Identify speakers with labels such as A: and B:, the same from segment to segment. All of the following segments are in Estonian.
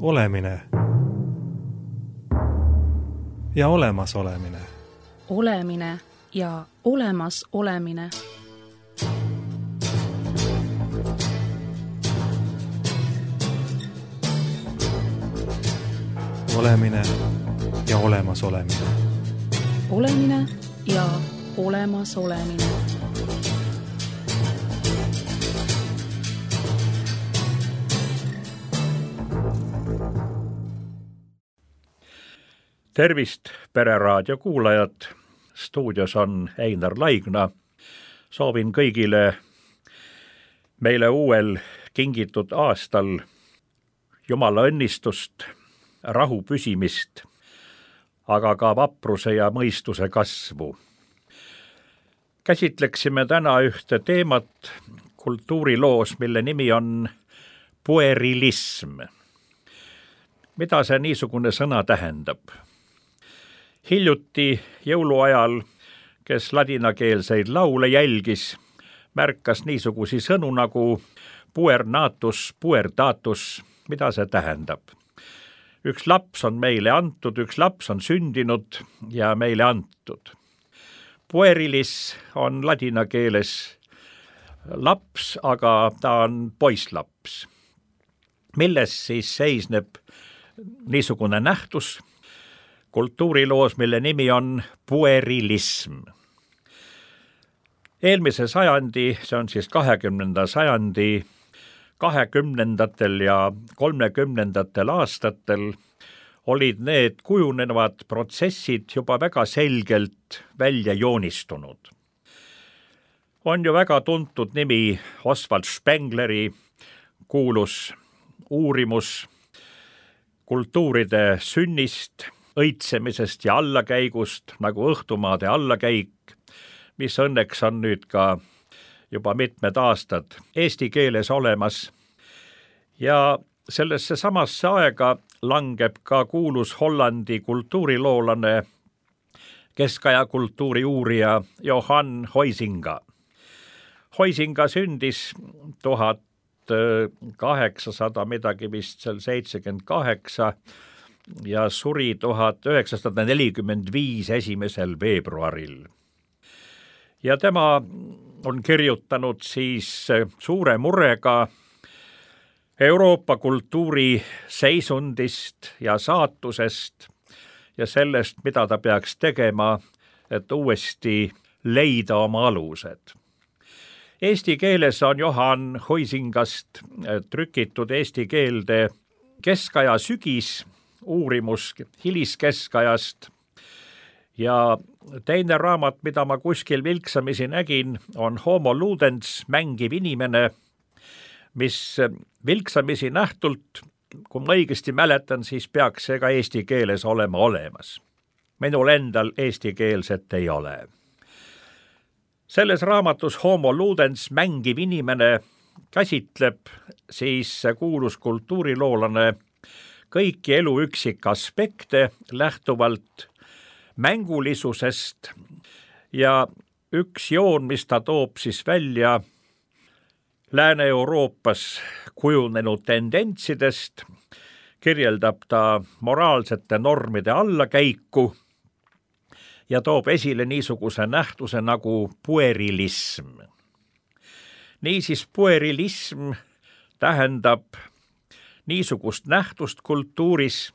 A: Olemine ja olemasolemine.
B: Olemine ja olemas olemine.
A: Olemine ja olemas olemine.
B: Olemine ja olemas olemine.
C: Tervist, Pereraadio kuulajad! Stuudios on Einar Laigna. Soovin kõigile meile uuel kingitud aastal Jumala õnnistust, rahu püsimist, aga ka vapruse ja mõistuse kasvu. Käsitleksime täna ühte teemat kultuuriloos, mille nimi on puerilism. Mida see niisugune sõna tähendab? Hiljuti jõuluajal, kes ladinakeelseid laule jälgis, märkas niisugusi sõnu nagu puernatus, puertatus. Mida see tähendab? Üks laps on meile antud, üks laps on sündinud ja meile antud. Puerilis on ladina keeles laps, aga ta on poisslaps. Milles siis seisneb niisugune nähtus kultuuriloos, mille nimi on puerilism? Eelmise sajandi, see on siis 20. sajandi, 20. ja 30. aastatel olid need kujunevad protsessid juba väga selgelt välja joonistunud. On ju väga tuntud nimi Oswald Spengleri kuulus uurimus kultuuride sünnist, õitsemisest ja allakäigust, nagu Õhtumaade allakäik, mis õnneks on nüüd ka juba mitmed aastad eesti keeles olemas. Ja sellesse samasse aega langeb ka kuulus Hollandi kultuuriloolane, keskaja kultuuri uurija Johann Huizinga. Huizinga sündis 1800 midagi vist seal 78 ja suri 1945 1. veebruaril. Ja tema on kirjutanud siis suure murega Euroopa kultuuri seisundist ja saatusest ja sellest, mida ta peaks tegema, et uuesti leida oma alused. Eesti keeles on Johann Huizingast trükitud eesti keelde keskaja sügis, uurimus hiliskeskajast, ja teine raamat, mida ma kuskil vilksamisi nägin, on Homo ludens, mängiv inimene, mis vilksamisi nähtult, kui ma õigesti mäletan, siis peaks see ka eesti keeles olema olemas. Minul endal eestikeelset ei ole. Selles raamatus Homo ludens, mängiv inimene käsitleb siis kuulus kultuuriloolane kõiki elu üksikaspekte lähtuvalt mängulisusest ja üks joon, mis ta toob siis välja Lääne-Euroopas kujunenud tendentsidest, kirjeldab ta moraalsete normide allakäiku ja toob esile niisuguse nähtuse nagu puerilism. Niisiis puerilism tähendab niisugust nähtust kultuuris,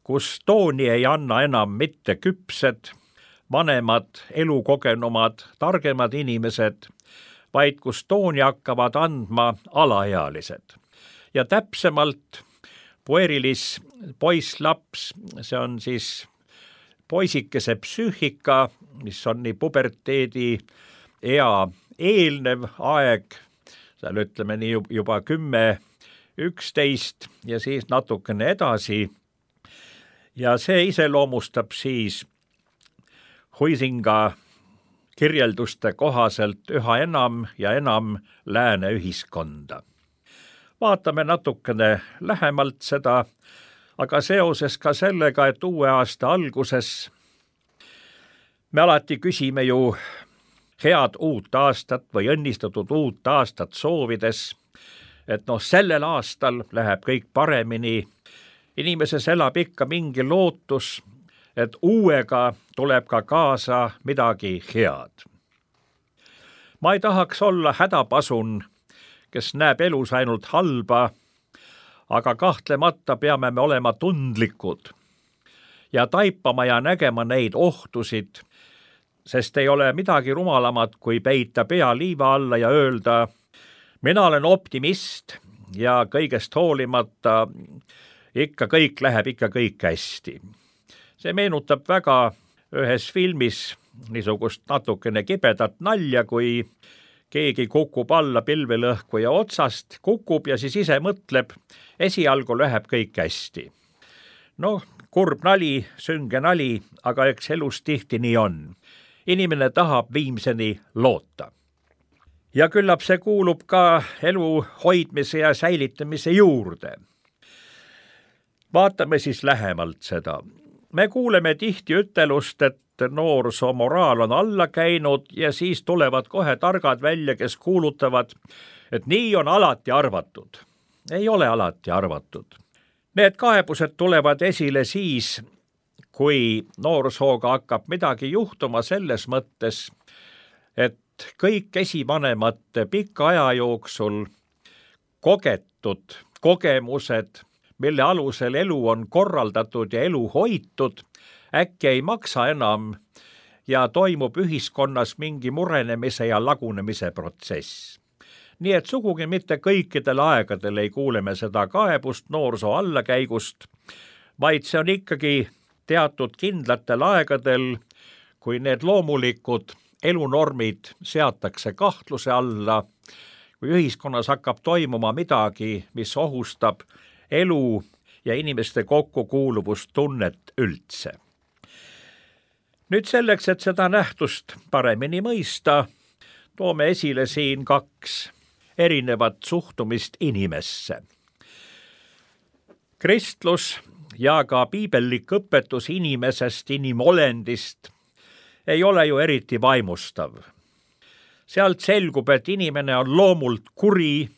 C: kus tooni ei anna enam mitte küpsed, vanemad, elukogenumad, targemad inimesed, vaid kus tooni hakkavad andma alaealised. Ja täpsemalt puerilis, poisslaps, see on siis poisikese psüühika, mis on nii puberteedi ea eelnev aeg, seal ütleme nii juba 10, 11 ja siis natukene edasi. Ja see iseloomustab siis Huizinga kirjelduste kohaselt üha enam ja enam lääne ühiskonda. Vaatame natukene lähemalt seda, aga seoses ka sellega, et uue aasta alguses me alati küsime ju head uut aastat või õnnistatud uut aastat soovides, et sellel aastal läheb kõik paremini inimeses elab ikka mingi lootus, et uuega tuleb ka kaasa midagi head. Ma ei tahaks olla hädapasun, kes näeb elus ainult halba, aga kahtlemata peame me olema tundlikud ja taipama ja nägema neid ohtusid, sest ei ole midagi rumalamat, kui peita pea liiva alla ja öelda, mina olen optimist ja kõigest hoolimata ikka kõik läheb ikka kõik hästi. See meenutab väga ühes filmis niisugust natukene kibedat nalja, kui keegi kukub alla pilvelõhkuja otsast, kukub ja siis ise mõtleb, esialgu läheb kõik hästi. Noh, kurb nali, sünge nali, aga eks elus tihti nii on. Inimene tahab viimseni loota. Ja küllap see kuulub ka elu hoidmise ja säilitamise juurde. Vaatame siis lähemalt seda. Me kuuleme tihti ütelust, et noorsoo moraal on alla käinud ja siis tulevad kohe targad välja, kes kuulutavad, et nii on alati arvatud. Ei ole alati arvatud. Need kaebused tulevad esile siis, kui noorsooga hakkab midagi juhtuma selles mõttes, et kõik esivanemate pika aja jooksul kogetud kogemused, mille alusel elu on korraldatud ja elu hoitud, äkki ei maksa enam ja toimub ühiskonnas mingi murenemise ja lagunemise protsess. Nii et sugugi mitte kõikidel aegadel ei kuule me seda kaebust noorsoo allakäigust, vaid see on ikkagi teatud kindlatel aegadel, kui need loomulikud elunormid seatakse kahtluse alla, kui ühiskonnas hakkab toimuma midagi, mis ohustab elu ja inimeste kokkukuuluvustunnet üldse. Nüüd selleks, et seda nähtust paremini mõista, toome esile siin 2 erinevat suhtumist inimesse. Kristlus ja ka piibellik õpetus inimesest, inimolendist ei ole ju eriti vaimustav. Sealt selgub, et inimene on loomult kuri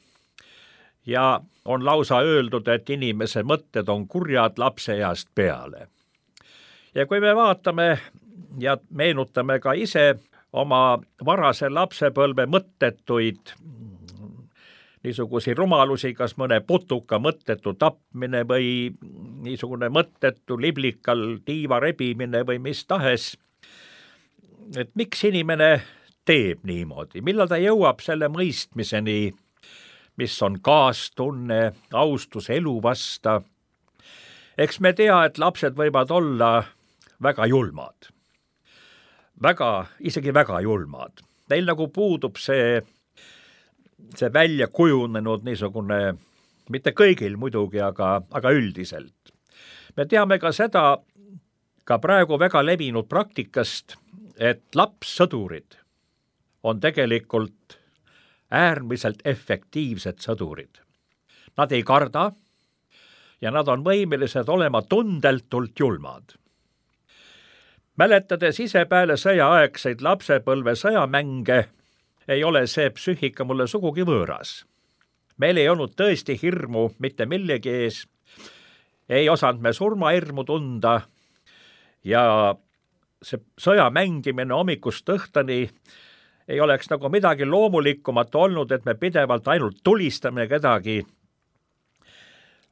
C: ja on lausa öeldud, et inimese mõtted on kurjad lapseeast peale. Ja kui me vaatame ja meenutame ka ise oma varase lapsepõlve mõttetuid niisugusi rumalusi, kas mõne putuka mõttetu tapmine või niisugune mõttetu liblikal tiiva rebimine või mis tahes, et miks inimene teeb niimoodi, millal ta jõuab selle mõistmiseni, mis on kaastunne, austus elu vasta. Eks me tea, et lapsed võivad olla väga julmad. Isegi väga julmad. Neil nagu puudub see välja kujunenud niisugune, mitte kõigil muidugi, aga üldiselt. Me teame ka seda, ka praegu väga levinud praktikast, et lapssõdurid on tegelikult äärmiselt efektiivsed sõdurid. Nad ei karda ja nad on võimelised olema tundeltult julmad. Mäletades ise peale sõjaaegseid lapsepõlve sõjamänge, ei ole see psüühika mulle sugugi võõras. Meil ei olnud tõesti hirmu mitte millegi ees, ei osanud me surmahirmu tunda ja see sõja mängimine hommikust õhtuni ei oleks nagu midagi loomulikumat olnud, et me pidevalt ainult tulistame kedagi.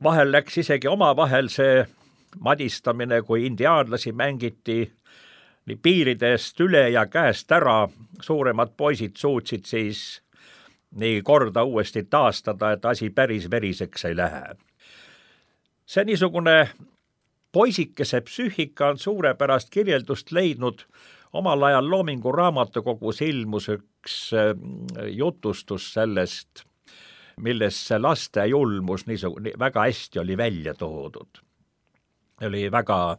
C: Vahel läks isegi omavahel see madistamine, kui indiaanlasi mängiti nii piiridest üle ja käest ära. Suuremad poisid suutsid siis nii korda uuesti taastada, et asi päris veriseks ei lähe. See niisugune poisikese psüühika on suurepärast kirjeldust leidnud. Omal ajal Loomingu raamatukogus ilmus üks jutustus sellest, milles see laste julmus väga hästi oli välja toodud. Oli väga,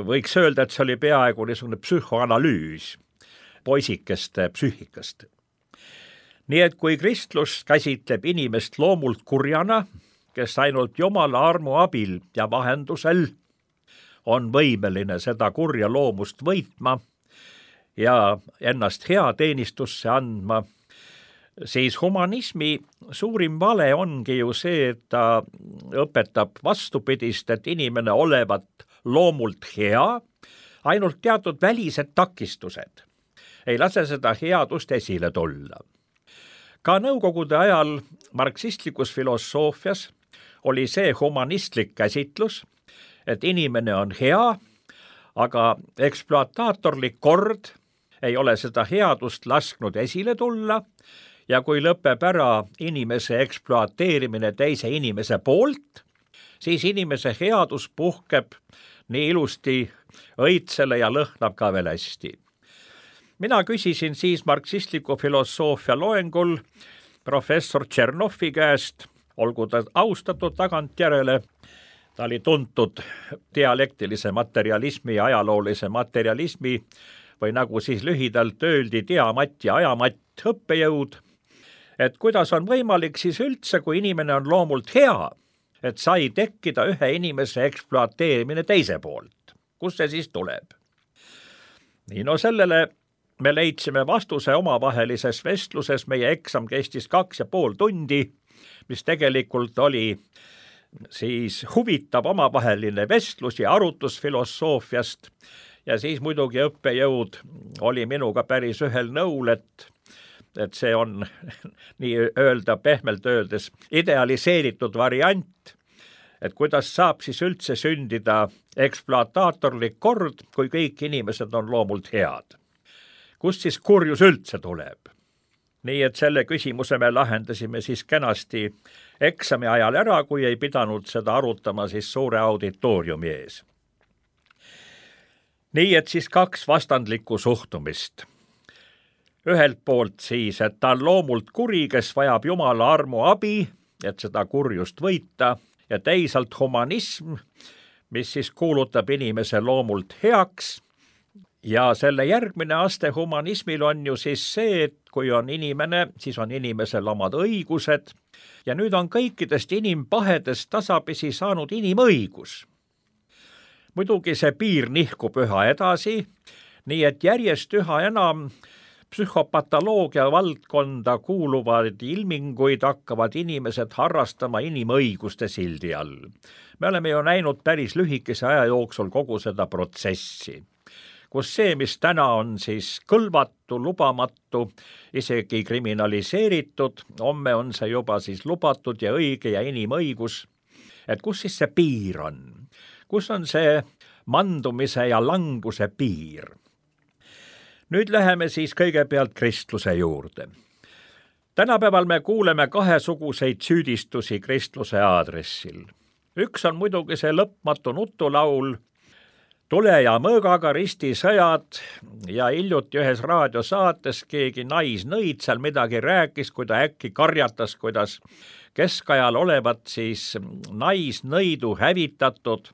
C: võiks öelda, et see oli peaaegu niisugune psühhoanalüüs poisikeste psüühikast. Nii et kui kristlus käsitleb inimest loomult kurjana, kes ainult Jumala armu abil ja vahendusel on võimeline seda kurja loomust võitma ja ennast hea teenistusse andma, siis humanismi suurim vale ongi ju see, et ta õpetab vastupidist, et inimene olevat loomult hea, ainult teatud välised takistused ei lase seda headust esile tulla. Ka nõukogude ajal marksistlikus filosoofias oli see humanistlik käsitlus, et inimene on hea, aga ekspluataatorlik kord ei ole seda headust lasknud esile tulla ja kui lõpeb ära inimese ekspluateerimine teise inimese poolt, siis inimese headus puhkeb nii ilusti õitsele ja lõhnab ka veel hästi. Mina küsisin siis marksistliku filosoofia loengul professor Tšernovi käest, olgu ta austatud tagantjärele, ta oli tuntud dialektilise materialismi ja ajaloolise materialismi või nagu siis lühidalt öeldi, diamatt ja ajamatt õppejõud, et kuidas on võimalik siis üldse, kui inimene on loomult hea, et sai tekkida ühe inimese ekspluateerimine teise poolt. Kus see siis tuleb? Nii, no sellele me leidsime vastuse omavahelises vestluses, meie eksam kestis 2,5 tundi, mis tegelikult oli siis huvitav omavaheline vestlus ja arutus filosoofiast ja siis muidugi õppejõud oli minuga päris ühel nõul, et see on nii öelda pehmelt öeldes idealiseeritud variant, et kuidas saab siis üldse sündida ekspluataatorlik kord, kui kõik inimesed on loomult head. Kust siis kurjus üldse tuleb? Nii et selle küsimuse me lahendasime siis kenasti eksami ajal ära, kui ei pidanud seda arutama siis suure auditooriumi ees. Nii et siis 2 vastandlikku suhtumist. Ühelt poolt siis, et ta on loomult kuri, kes vajab Jumala armu abi, et seda kurjust võita, ja teisalt humanism, mis siis kuulutab inimese loomult heaks. Ja selle järgmine aste humanismil on ju siis see, et kui on inimene, siis on inimesel omad õigused ja nüüd on kõikidest inimpahedest tasapisi saanud inimõigus. Muidugi see piir nihkub üha edasi, nii et järjest üha enam psühhopatoloogia valdkonda kuuluvaid ilminguid hakkavad inimesed harrastama inimõiguste sildi all. Me oleme ju näinud päris lühikese aja jooksul kogu seda protsessi, kus see, mis täna on siis kõlvatu, lubamatu, isegi kriminaliseeritud, homme on see juba siis lubatud ja õige ja inimõigus, et kus siis see piir on? Kus on see mandumise ja languse piir? Nüüd läheme siis kõigepealt kristluse juurde. Tänapäeval me kuuleme 2 süüdistusi kristluse aadressil. Üks on muidugi see lõpmatu nutulaul, tule ja mõõgaga ristisõjad ja hiljuti ühes raadiosaates keegi naisnõid seal midagi rääkis, kui ta äkki karjatas, kuidas keskajal olevat siis naisnõidu hävitatud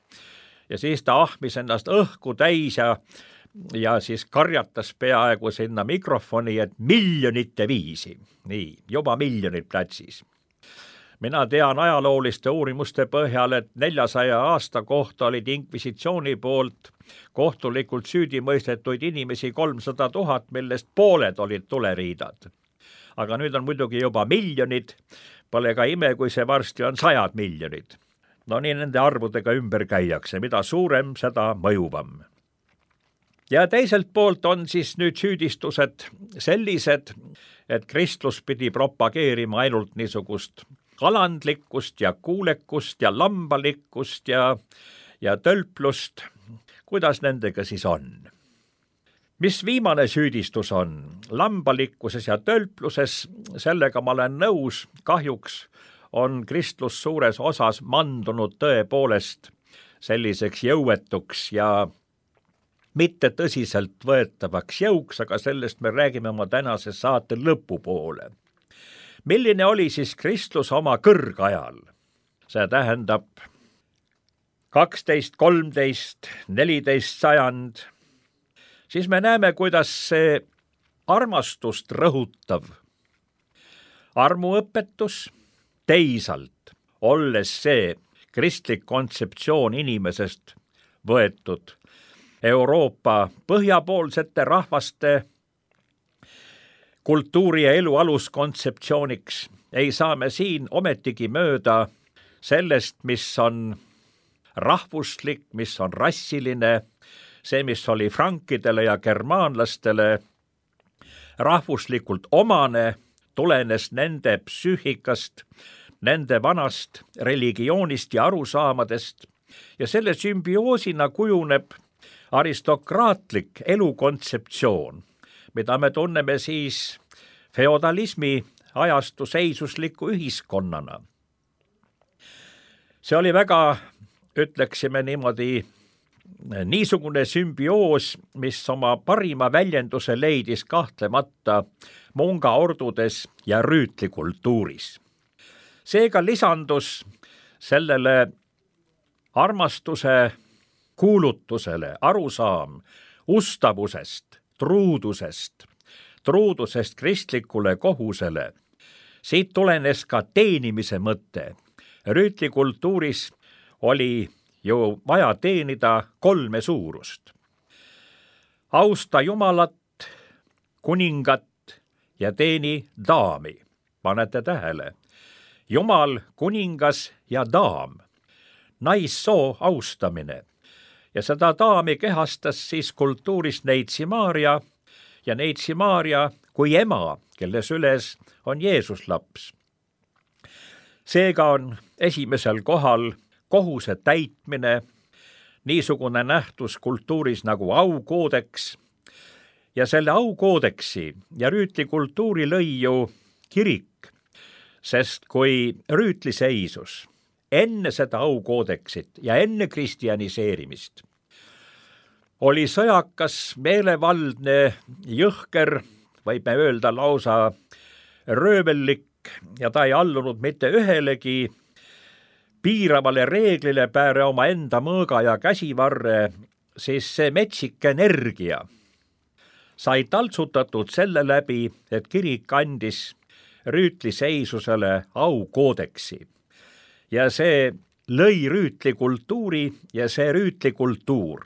C: ja siis ta ahmis ennast õhku täis ja siis karjatas peaaegu sinna mikrofoni, et 1,000,000 nii, juba 1,000,000 platsis. Mina tean ajalooliste uurimuste põhjal, et 400 aasta kohta olid inkvisitsiooni poolt kohtulikult süüdi mõistetuid inimesi 300 000, millest pooled olid tuleriidad. Aga nüüd on muidugi juba 1,000,000, pole ka ime, kui see varsti on 100 miljonit. No nii nende arvudega ümber käiakse, mida suurem, seda mõjuvam. Ja teiselt poolt on siis nüüd süüdistused sellised, et kristlus pidi propageerima ainult niisugust alandlikkust ja kuulekust ja lambalikkust ja tölplust. Kuidas nendega siis on? Mis viimane süüdistus on? Lambalikkuses ja tölpluses, sellega ma olen nõus, kahjuks on kristlus suures osas mandunud tõepoolest selliseks jõuetuks ja mitte tõsiselt võetavaks jõuks, aga sellest me räägime oma tänase saate lõpupoole. Milline oli siis kristlus oma kõrgajal? See tähendab 12, 13, 14 sajand. Siis me näeme, kuidas see armastust rõhutav armuõpetus teisalt, olles see kristlik kontseptsioon inimesest võetud Euroopa põhjapoolsete rahvaste kultuuri ja elu aluskontseptsiooniks, ei saa me siin ometigi mööda sellest, mis on rahvuslik, mis on rassiline, see, mis oli frankidele ja germaanlastele rahvuslikult omane, tulenes nende psüühikast, nende vanast religioonist ja arusaamadest ja selle sümbioosina kujuneb aristokraatlik elukontseptsioon, mida me tunneme siis feodalismi ajastu seisusliku ühiskonnana. See oli väga, ütleksime niimoodi, niisugune sümbioos, mis oma parima väljenduse leidis kahtlemata munga ordudes ja rüütlikultuuris. Seega lisandus sellele armastuse kuulutusele arusaam ustavusest, truudusest kristlikule kohusele. Siit tulenes ka teenimise mõte. Rüütlikultuuris oli ju vaja teenida 3 suurust. Austa Jumalat, kuningat ja teeni daami. Panete tähele. Jumal, kuningas ja daam. Naissoo austamine. Ja seda daami kehastas siis kultuuris Neitsi Maarja ja Neitsi Maarja kui ema, kelle süles on Jeesus laps. Seega on esimesel kohal kohuse täitmine, niisugune nähtus kultuuris nagu aukoodeks, ja selle aukoodeksi ja rüütlikultuuri lõi ju kirik, sest kui rüütli seisus enne seda aukoodeksit ja enne kristjaniseerimist oli sõjakas, meelevaldne, jõhker, võib me öelda lausa röövellik, ja ta ei allunud mitte ühelegi piiravale reeglile pääre oma enda mõõga ja käsivarre, siis see metsik energia sai taltsutatud selle läbi, et kirik andis rüütliseisusele aukoodeksi. Ja see lõi rüütlikultuuri ja see rüütlikultuur,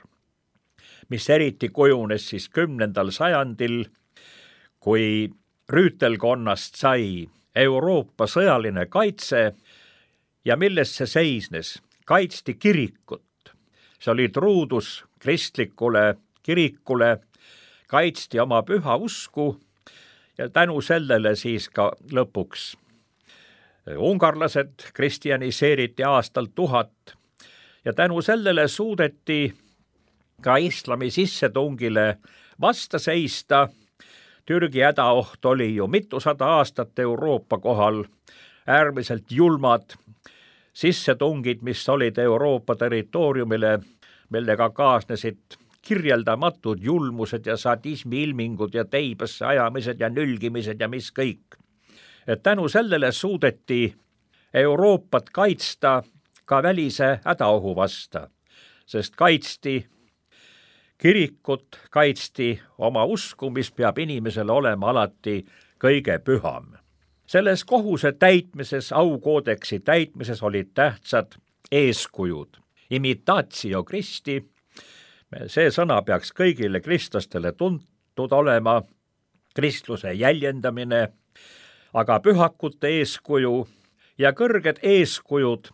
C: mis eriti kujunes siis 10. sajandil, kui rüütelkonnast sai Euroopa sõjaline kaitse ja milles see seisnes? Kaitsti kirikut. See oli truudus kristlikule kirikule, kaitsti oma püha usku ja tänu sellele siis ka lõpuks ungarlased kristjaniseeriti aastal 1000 ja tänu sellele suudeti ka islami sissetungile vasta seista. Türgi hädaoht oli ju mitusada aastat Euroopa kohal, äärmiselt julmad sissetungid, mis olid Euroopa territooriumile, millega kaasnesid kirjeldamatud julmused ja sadismi ilmingud ja teibasse ajamised ja nülgimised ja mis kõik. Et tänu sellele suudeti Euroopat kaitsta ka välise hädaohu vasta, sest kaitsti kirikut, kaitsti oma usku, mis peab inimesele olema alati kõige püham. Selles kohuse täitmises, aukoodeksi täitmises olid tähtsad eeskujud. Imitatio Christi, see sõna peaks kõigile kristlastele tuntud olema, kristluse jäljendamine, aga pühakute eeskuju ja kõrged eeskujud,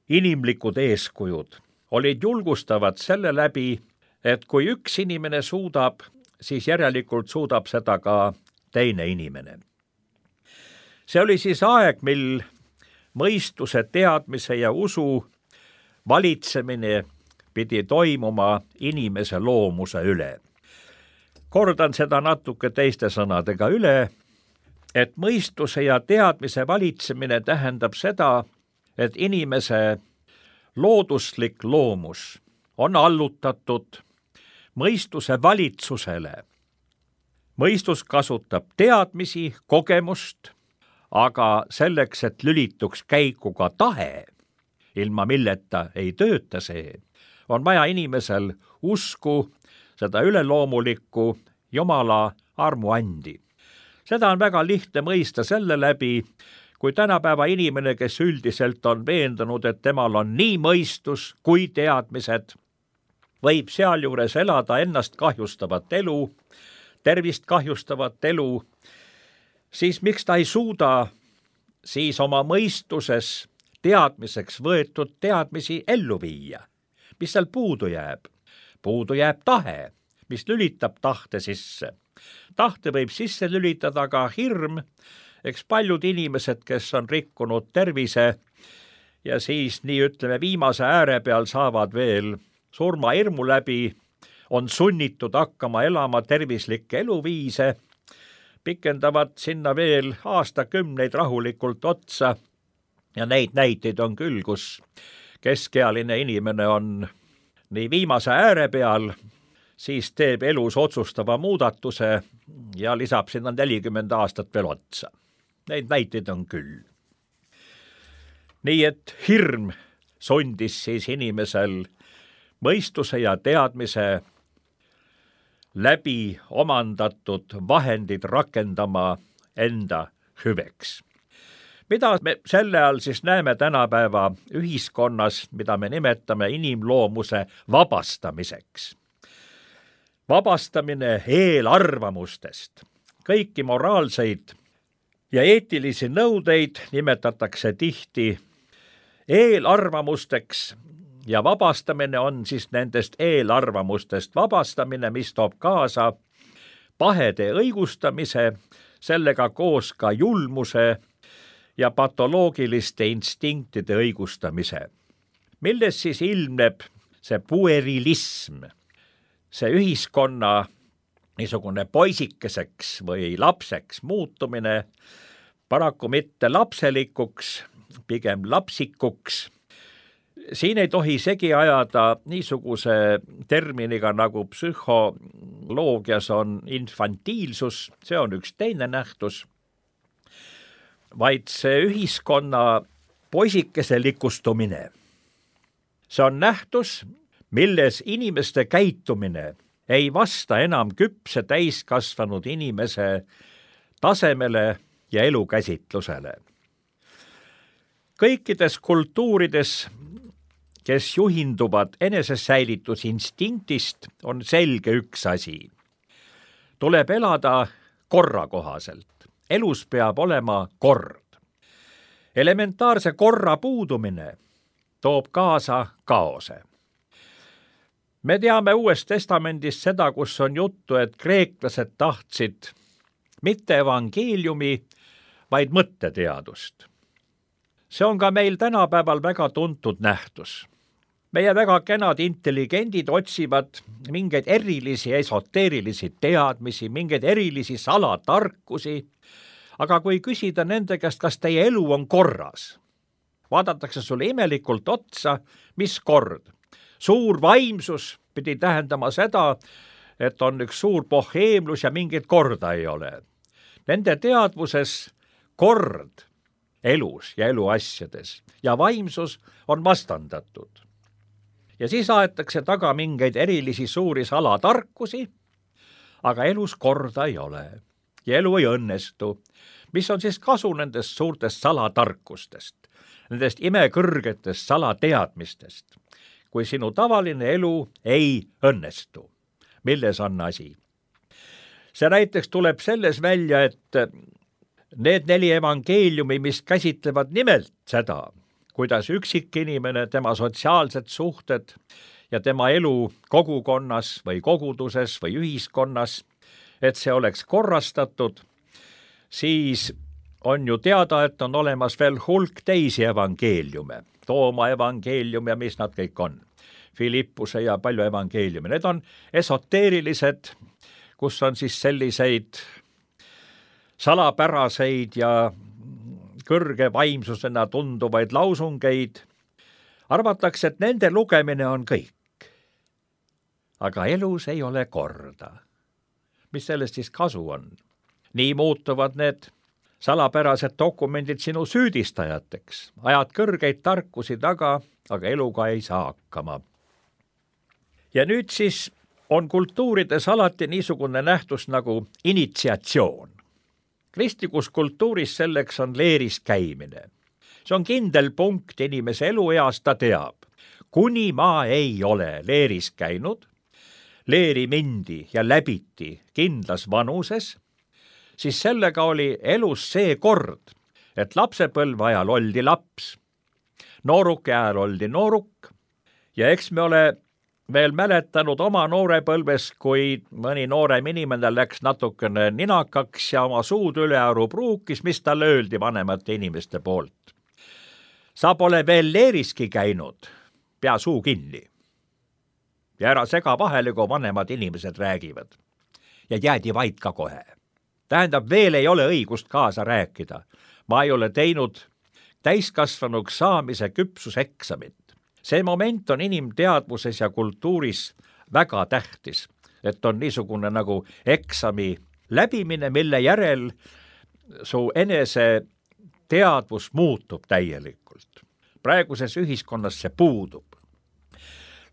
C: inimlikud eeskujud, olid julgustavad selle läbi, et kui üks inimene suudab, siis järelikult suudab seda ka teine inimene. See oli siis aeg, mil mõistuse, teadmise ja usu valitsemine pidi toimuma inimese loomuse üle. Kordan seda natuke teiste sõnadega üle, et mõistuse ja teadmise valitsemine tähendab seda, et inimese looduslik loomus on allutatud mõistuse valitsusele. Mõistus kasutab teadmisi, kogemust, aga selleks, et lülituks käiku ka tahe, ilma milleta ei tööta see, on vaja inimesel usku, seda üleloomulikku Jumala armuandi. Seda on väga lihtne mõista selle läbi, kui tänapäeva inimene, kes üldiselt on veendunud, et temal on nii mõistus kui teadmised, võib sealjuures elada ennast kahjustavat elu, tervist kahjustavat elu siis miks ta ei suuda siis oma mõistuses teadmiseks võetud teadmisi ellu viia? Mis seal puudu jääb? Puudu jääb tahe, mis lülitab tahte sisse. Tahte võib sisse lülitada ka hirm, eks paljud inimesed, kes on rikkunud tervise ja siis nii ütleme viimase ääre peal saavad veel surmahirmu läbi, on sunnitud hakkama elama tervislikke eluviise, pikendavad sinna veel aastakümneid rahulikult otsa ja neid näiteid on küll, kus keskealine inimene on nii viimase ääre peal, siis teeb elus otsustava muudatuse ja lisab sinna 40 aastat veel otsa. Neid näiteid on küll. Nii et hirm sundis siis inimesel mõistuse ja teadmise läbi omandatud vahendid rakendama enda hüveks. Mida me selle all siis näeme tänapäeva ühiskonnas, mida me nimetame inimloomuse vabastamiseks? Vabastamine eelarvamustest. Kõiki moraalseid ja eetilisi nõudeid nimetatakse tihti eelarvamusteks ja vabastamine on siis nendest eelarvamustest vabastamine, mis toob kaasa pahede õigustamise, sellega koos ka julmuse ja patoloogiliste instinktide õigustamise. Milles siis ilmneb see puerilism, see ühiskonna niisugune poisikeseks või lapseks muutumine, paraku mitte lapselikuks, pigem lapsikuks. Siin ei tohi segi ajada niisuguse terminiga nagu psühholoogias on infantiilsus, see on üks teine nähtus, vaid see ühiskonna poisikese likustumine. See on nähtus, milles inimeste käitumine ei vasta enam küpse täiskasvanud inimese tasemele ja elukäsitlusele. Kõikides kultuurides, kes juhinduvad enesesäilitusinstinktist, on selge üks asi. Tuleb elada korra kohaselt. Elus peab olema kord. Elementaarse korra puudumine toob kaasa kaose. Me teame Uuest Testamendist seda, kus on juttu, et kreeklased tahtsid mitte evangeeliumi, vaid mõtteteadust. See on ka meil tänapäeval väga tuntud nähtus. Meie väga kenad intelligendid otsivad mingeid erilisi esoteerilisi teadmisi, mingeid erilisi salatarkusi, aga kui küsida nende käest, kas teie elu on korras, vaadatakse sulle imelikult otsa, mis kord. Suur vaimsus pidi tähendama seda, et on üks suur boheemlus ja mingit korda ei ole. Nende teadvuses kord elus ja eluasjades ja vaimsus on vastandatud. Ja siis aetakse taga mingeid erilisi suuri salatarkusi, aga elus korda ei ole ja elu ei õnnestu. Mis on siis kasu nendest suurtest salatarkustest, nendest imekõrgetest salateadmistest, kui sinu tavaline elu ei õnnestu? Milles on asi? See näiteks tuleb selles välja, et need 4 evangeeliumi, mis käsitlevad nimelt seda, kuidas üksikinimene, tema sotsiaalsed suhted ja tema elu kogukonnas või koguduses või ühiskonnas, et see oleks korrastatud, siis on ju teada, et on olemas veel hulk teisi evangeeliume, Tooma evangeelium ja mis nad kõik on, Filippuse ja palju evangeeliume. Need on esoteerilised, kus on siis selliseid salapäraseid ja kõrge vaimsusena tunduvaid lausungeid. Arvatakse, et nende lugemine on kõik. Aga elus ei ole korda. Mis sellest siis kasu on? Nii muutuvad need salapärased dokumendid sinu süüdistajateks. Ajad kõrgeid tarkusi taga, aga eluga ei saa hakkama. Ja nüüd siis on kultuurides alati niisugune nähtus nagu initsiatsioon. Kristlikus kultuuris selleks on leeris käimine. See on kindel punkt inimese elueas, ta teab. Kuni ma ei ole leeris käinud, leeri mindi ja läbiti kindlas vanuses, siis sellega oli elus see kord, et lapsepõlve ajal oldi laps, nooruke ajal oldi nooruk ja eks me ole veel mäletanud oma noorepõlves, kui mõni noorem inimene läks natukene ninakaks ja oma suud ülearu pruukis, mis talle öeldi vanemate inimeste poolt. Sa pole veel leeriski käinud, pea suu kinni. Ja ära sega vahele, kui vanemad inimesed räägivad. Ja jäädi vait ka kohe. Tähendab, veel ei ole õigust kaasa rääkida. Ma ei ole teinud täiskasvanuks saamise küpsuseksamit. See moment on inimteadvuses ja kultuuris väga tähtis, et on niisugune nagu eksami läbimine, mille järel su enese teadvus muutub täielikult. Praeguses ühiskonnas see puudub.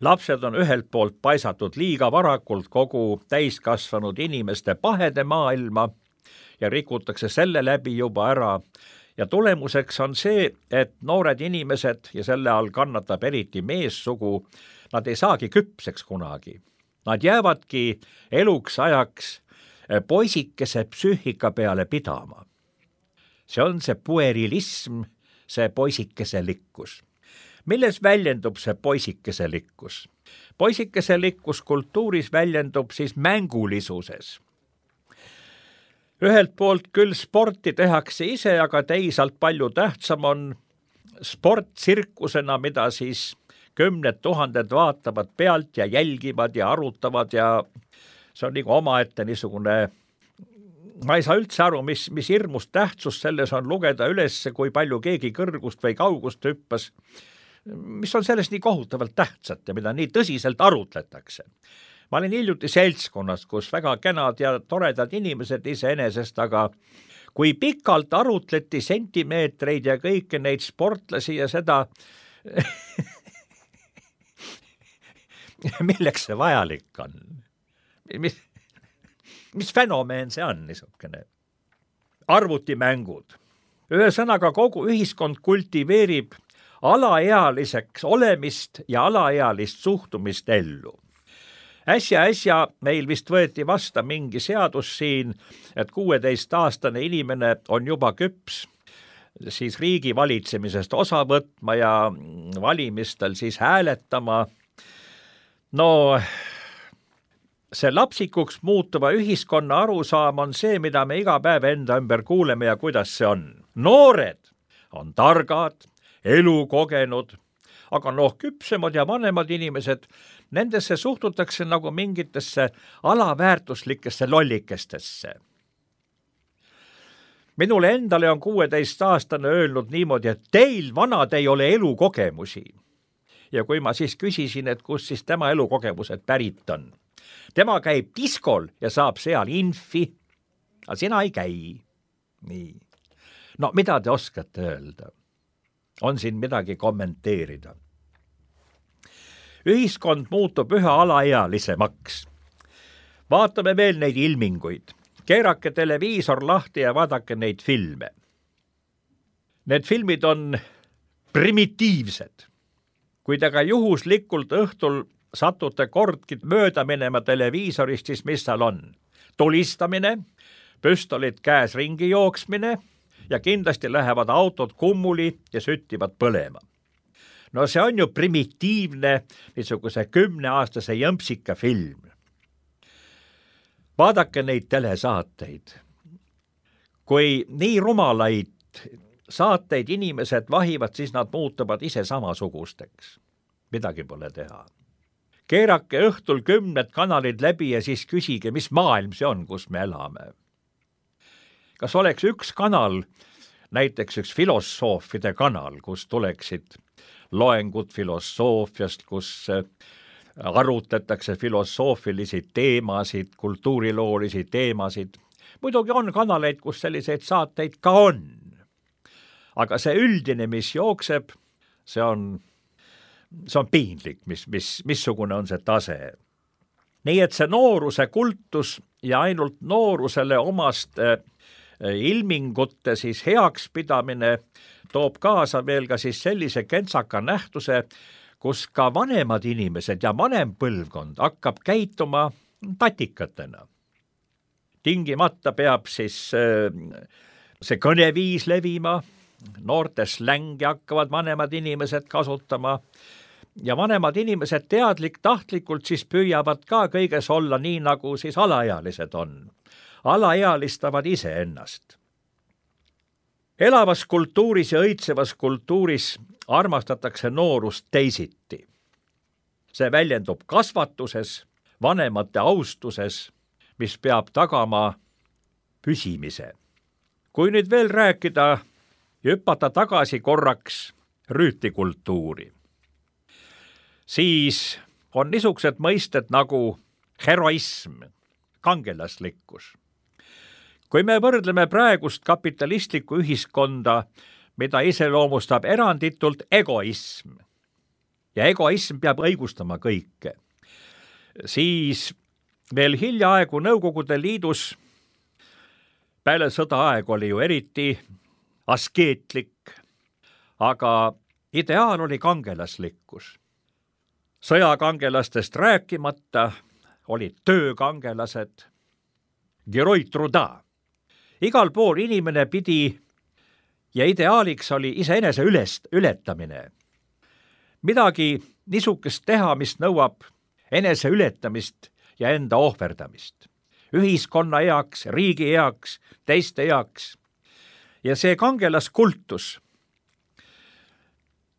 C: Lapsed on ühelt poolt paisatud liiga varakult kogu täiskasvanud inimeste pahede maailma ja rikutakse selle läbi juba ära. Ja tulemuseks on see, et noored inimesed, ja selle all kannatab eriti meessugu, nad ei saagi küpseks kunagi. Nad jäävadki eluks ajaks poisikese psüühika peale pidama. See on see puerilism, see poisikeselikkus. Milles väljendub see poisikeselikkus? Poisikeselikkus kultuuris väljendub siis mängulisuses. Ühelt poolt küll sporti tehakse ise, aga teisalt palju tähtsam on sport tsirkusena, mida siis 10 000 vaatavad pealt ja jälgivad ja arutavad ja see on nagu omaette niisugune, ma ei saa üldse aru, mis hirmus tähtsus selles on lugeda üles, kui palju keegi kõrgust või kaugust hüppas, mis on sellest nii kohutavalt tähtsat ja mida nii tõsiselt arutletakse. Ma olin hiljuti seltskonnas, kus väga kenad ja toredad inimesed iseenesest, aga kui pikalt arutleti sentimeetreid ja kõiki neid sportlasi ja seda, milleks see vajalik on? Mis fenomeen see on niisugune? Arvutimängud. Ühesõnaga kogu ühiskond kultiveerib alaealiseks olemist ja alaealist suhtumist ellu. Äsja meil vist võeti vasta mingi seadus siin, et 16-aastane inimene on juba küps siis riigi valitsemisest osa võtma ja valimistel siis hääletama. No, see lapsikuks muutuva ühiskonna arusaam on see, mida me iga päev enda ümber kuuleme ja kuidas see on. Noored on targad, elu kogenud, aga küpsemad ja vanemad inimesed, nendesse suhtutakse nagu mingitesse alaväärtuslikesse lollikestesse. Minule endale on 16-aastane öelnud niimoodi, et teil vanad ei ole elukogemusi. Ja kui ma siis küsisin, et kus siis tema elukogemused pärit on. Tema käib diskol ja saab seal infi, aga sina ei käi. Nii. No mida te oskate öelda? On siin midagi kommenteerida. Ühiskond muutub üha alaealisemaks. Vaatame veel neid ilminguid. Keerake televiisor lahti ja vaadake neid filme. Need filmid on primitiivsed. Kui te ka juhuslikult õhtul satute kordki mööda minema televiisorist, siis mis seal on? Tulistamine, püstolid käes ringi jooksmine ja kindlasti lähevad autod kummuli ja süttivad põlema. No see on ju primitiivne niisuguse 10-aastase jõmpsika film. Vaadake neid telesaateid. Kui nii rumalaid saateid inimesed vahivad, siis nad muutuvad ise samasugusteks. Midagi pole teha. Keerake õhtul 10 kanalid läbi ja siis küsige, mis maailm see on, kus me elame. Kas oleks üks kanal, näiteks üks filosoofide kanal, kus tuleksid loengud filosoofiast, kus arutletakse filosoofilisi teemasid, kultuuriloolisi teemasid. Muidugi on kanaleid, kus selliseid saateid ka on. Aga see üldine, mis jookseb, see on piinlik, missugune on see tase. Nii et see nooruse kultus ja ainult noorusele omast ilmingute siis heaks pidamine toob kaasa veel ka siis sellise kentsaka nähtuse, kus ka vanemad inimesed ja vanem põlvkond hakkab käituma tatikatena. tingimata peab siis see kõneviis levima, noorte slängi hakkavad vanemad inimesed kasutama ja vanemad inimesed tahtlikult siis püüavad ka kõiges olla nii, nagu siis alaealised on. Alaealistavad iseennast. Elavas kultuuris ja õitsevas kultuuris armastatakse noorust teisiti. See väljendub kasvatuses, vanemate austuses, mis peab tagama püsimise. Kui nüüd veel rääkida ja hüpata tagasi korraks rüütlikultuuri, siis on niisugused mõisted nagu heroism, kangelaslikkus. Kui me võrdleme praegust kapitalistlikku ühiskonda, mida iseloomustab eranditult egoism, ja egoism peab õigustama kõike, siis veel hiljaaegu Nõukogude Liidus peale sõdaaeg oli ju eriti askeetlik, aga ideaal oli kangelaslikkus. Sõjakangelastest rääkimata olid töökangelased, heroi truda. Igal pool inimene pidi ja ideaaliks oli iseenese ületamine. Midagi niisugust teha, mis nõuab enese ületamist ja enda ohverdamist. Ühiskonna heaks, riigi heaks, teiste heaks. Ja see kangelaskultus,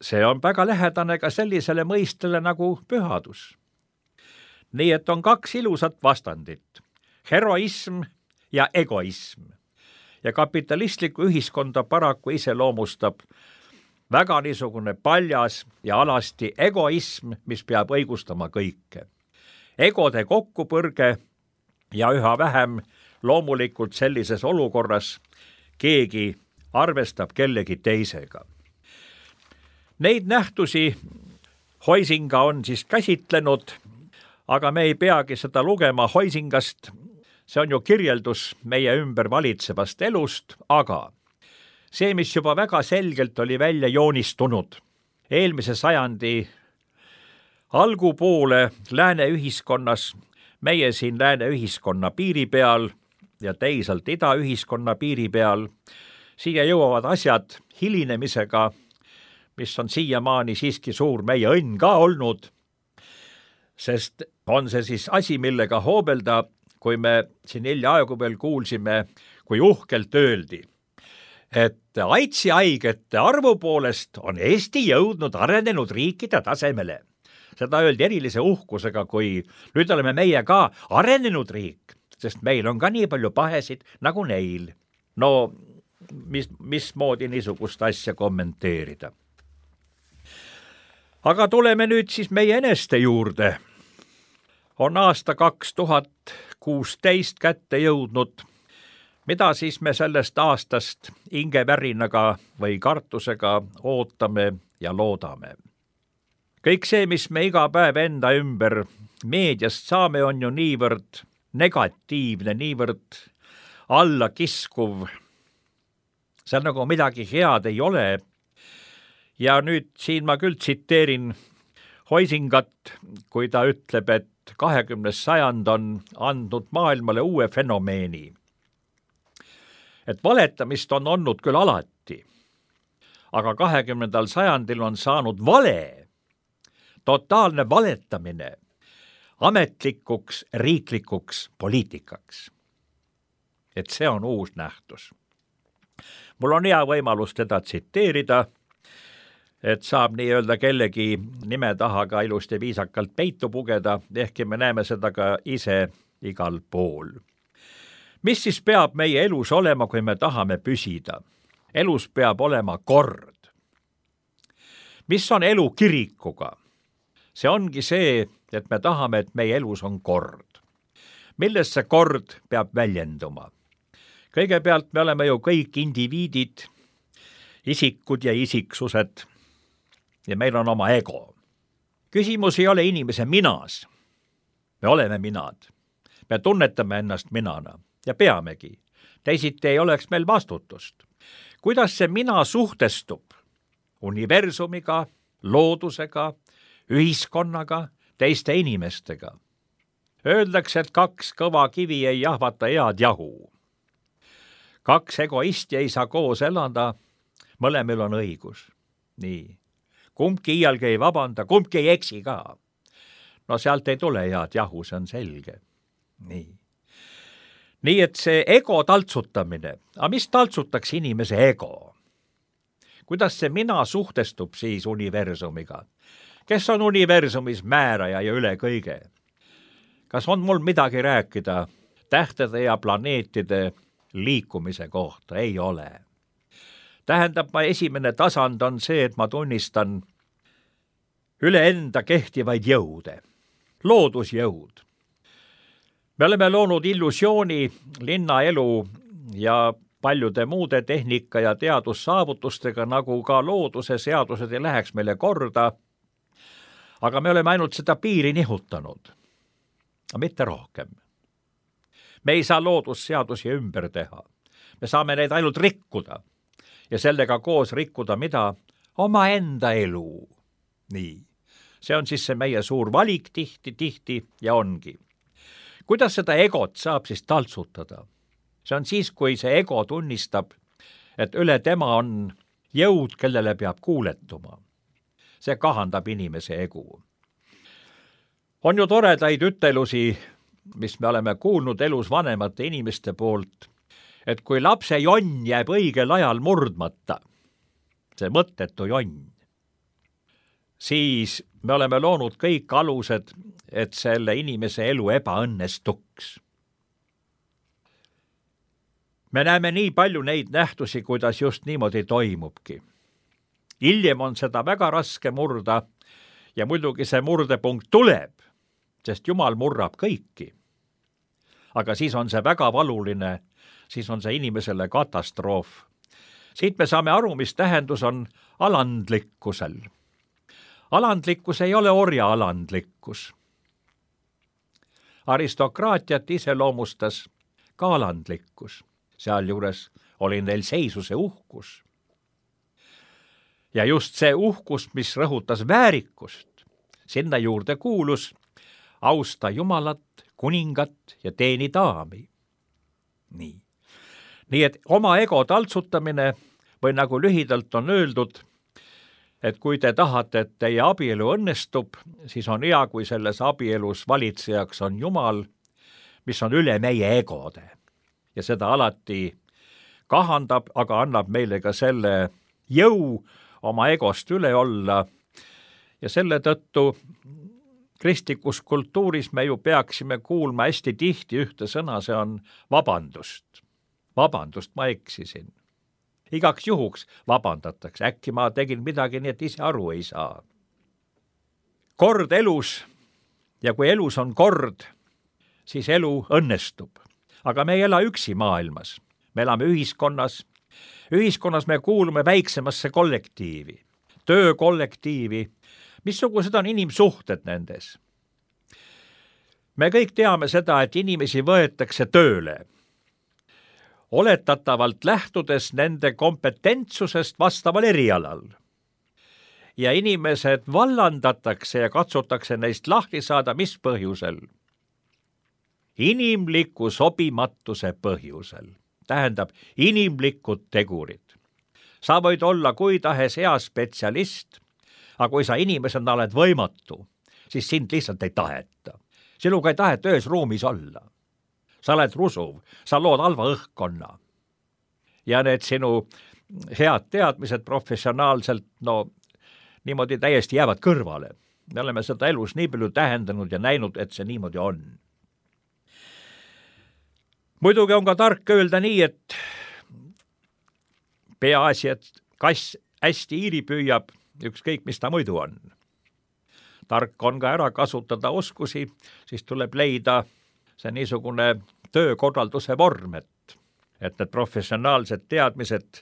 C: see on väga lähedane ka sellisele mõistele nagu pühadus. Nii et on kaks ilusat vastandit, heroism ja egoism. Ja kapitalistlikku ühiskonda paraku iseloomustab väga niisugune paljas ja alasti egoism, mis peab õigustama kõike. Egode kokkupõrge ja üha vähem loomulikult sellises olukorras keegi arvestab kellegi teisega. Neid nähtusi Huizinga on siis käsitlenud, aga me ei peagi seda lugema Huizingast. See on ju kirjeldus meie ümber valitsevast elust, aga see, mis juba väga selgelt oli välja joonistunud eelmise sajandi algupoole lääne ühiskonnas, meie siin lääne ühiskonna piiri peal ja teisalt ida ühiskonna piiri peal, siia jõuavad asjad hilinemisega, mis on siiamaani siiski suur meie õnn ka olnud, sest on see siis asi, millega hoobelda, kui me siin hiljaaegu veel kuulsime, kui uhkelt öeldi, et AIDSi haigete arvu poolest on Eesti jõudnud arenenud riikide tasemele. Seda öeldi erilise uhkusega, kui nüüd oleme meie ka arenenud riik, sest meil on ka nii palju pahesid nagu neil. No, mismoodi niisugust asja kommenteerida? Aga tuleme nüüd siis meie eneste juurde. On aasta 2016 kätte jõudnud. Mida siis me sellest aastast ingevärinaga või kartusega ootame ja loodame? Kõik see, mis me iga päev enda ümber meediast saame, on ju niivõrd negatiivne, niivõrd allakiskuv. See nagu midagi head ei ole. Ja nüüd siin ma küll tsiteerin Huizingat, kui ta ütleb, et 20. sajand on andnud maailmale uue fenomeeni. Et valetamist on olnud küll alati, aga 20. sajandil on saanud vale, totaalne valetamine ametlikuks, riiklikuks poliitikaks. Et see on uus nähtus. Mul on hea võimalus teda tsiteerida, et saab nii öelda kellegi nime taha ka ilusti viisakalt peitu pugeda, ehkki me näeme seda ka ise igal pool. Mis siis peab meie elus olema, kui me tahame püsida? Elus peab olema kord. Mis on elu kirikuga? See ongi see, et me tahame, et meie elus on kord. Milles see kord peab väljenduma? Kõigepealt me oleme ju kõik indiviidid, isikud ja isiksused, ja meil on oma ego. Küsimus ei ole inimese minas. Me oleme minad. Me tunnetame ennast minana ja peamegi. Teisiti ei oleks meil vastutust. Kuidas see mina suhtestub universumiga, loodusega, ühiskonnaga, teiste inimestega? Öeldakse, et 2 kõva kivi ei jahvata head jahu. 2 egoisti ei saa koos elada, mõlemil on õigus. Nii. Kumbki iialgi ei vabanda, kumbki ei eksi ka. No sealt ei tule head jahu, see on selge. Nii et see ego taltsutamine, aga mis taltsutaks inimese ego? Kuidas see mina suhtestub siis universumiga? Kes on universumis määraja ja üle kõige? Kas on mul midagi rääkida tähtede ja planeetide liikumise kohta? Ei ole. Tähendab, esimene tasand on see, et ma tunnistan üle enda kehtivaid jõude, loodusjõud. Me oleme loonud illusiooni linnaelu ja paljude muude tehnika ja teadussaavutustega, nagu ka looduse seadused ei läheks meile korda, aga me oleme ainult seda piiri nihutanud, mitte rohkem. Me ei saa loodusseadusi ümber teha. Me saame neid ainult rikkuda ja sellega koos rikkuda mida? Omaenda elu. Nii. See on siis see meie suur valik tihti ja ongi. Kuidas seda egot saab siis taltsutada? See on siis, kui see ego tunnistab, et üle tema on jõud, kellele peab kuuletuma. See kahandab inimese egu. On ju toredaid ütelusi, mis me oleme kuulnud elus vanemate inimeste poolt, et kui lapse jonn jääb õigel ajal murdmata, see mõttetu jonn, siis me oleme loonud kõik alused, et selle inimese elu ebaõnnestuks. Me näeme nii palju neid nähtusi, kuidas just niimoodi toimubki. Hiljem on seda väga raske murda ja muidugi see murdepunkt tuleb, sest Jumal murrab kõiki. Aga siis on see väga valuline, siis on see inimesele katastroof. Siit me saame aru, mis tähendus on alandlikkusel. Alandlikkus ei ole orja alandlikkus. Aristokraatiat iseloomustas ka alandlikkus. Sealjuures oli neil seisuse uhkus. Ja just see uhkus, mis rõhutas väärikust, sinna juurde kuulus austa Jumalat, kuningat ja teeni daami. Nii et oma ego taltsutamine või nagu lühidalt on öeldud, et kui te tahate, et teie abielu õnnestub, siis on hea, kui selles abielus valitsejaks on Jumal, mis on üle meie egode. Ja seda alati kahandab, aga annab meile ka selle jõu oma egost üle olla. Ja selle tõttu kristlikus kultuuris me ju peaksime kuulma hästi tihti ühte sõna, see on vabandust. Vabandust, ma eksisin. Igaks juhuks vabandatakse, äkki ma tegin midagi nii, et ise aru ei saa. Kord elus ja kui elus on kord, siis elu õnnestub. Aga me ei ela üksi maailmas. Me elame ühiskonnas. Ühiskonnas me kuulume väiksemasse kollektiivi, töökollektiivi. Missugused on inimsuhted nendes? Me kõik teame seda, et inimesi võetakse tööle. Oletatavalt lähtudes nende kompetentsusest vastaval erialal. Ja inimesed vallandatakse ja katsutakse neist lahti saada mis põhjusel? Inimliku sobimatuse põhjusel. Tähendab, inimlikud tegurid. Sa võid olla kui tahes hea spetsialist, aga kui sa inimesena oled võimatu, siis sind lihtsalt ei taheta. Sinuga ei taheta ühes ruumis olla. Sa oled rusuv, sa lood halva õhkkonna. Ja need sinu head teadmised professionaalselt, niimoodi täiesti jäävad kõrvale. Me oleme seda elus nii palju tähendanud ja näinud, et see niimoodi on. Muidugi on ka tark öelda nii, et peaasi, et kass hästi iiri püüab, ükskõik mis ta muidu on. Tark on ka ära kasutada oskusi, siis tuleb leida see niisugune töökorralduse vorm, et need professionaalsed teadmised